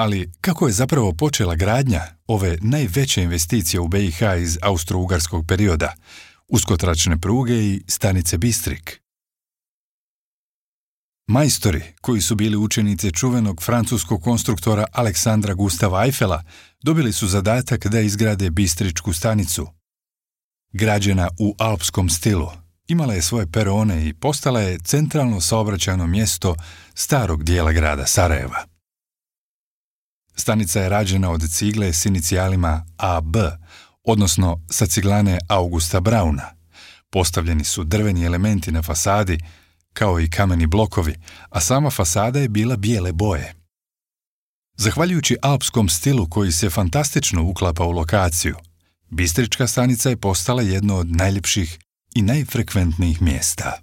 Ali kako je zapravo počela gradnja ove najveće investicije u BiH iz austro-ugarskog perioda, uskotračne pruge i stanice Bistrik? Majstori, koji su bili učenici čuvenog francuskog konstruktora Aleksandra Gustava Eiffela, dobili su zadatak da izgrade bistričku stanicu. Građena u alpskom stilu, imala je svoje perone i postala je centralno saobraćajno mjesto starog dijela grada Sarajeva. Stanica je rađena od cigle s inicijalima AB, odnosno sa ciglane Augusta Brauna. Postavljeni su drveni elementi na fasadi, kao i kameni blokovi, a sama fasada je bila bijele boje. Zahvaljujući alpskom stilu koji se fantastično uklapa u lokaciju, bistrička stanica je postala jedno od najljepših i najfrekventnijih mjesta.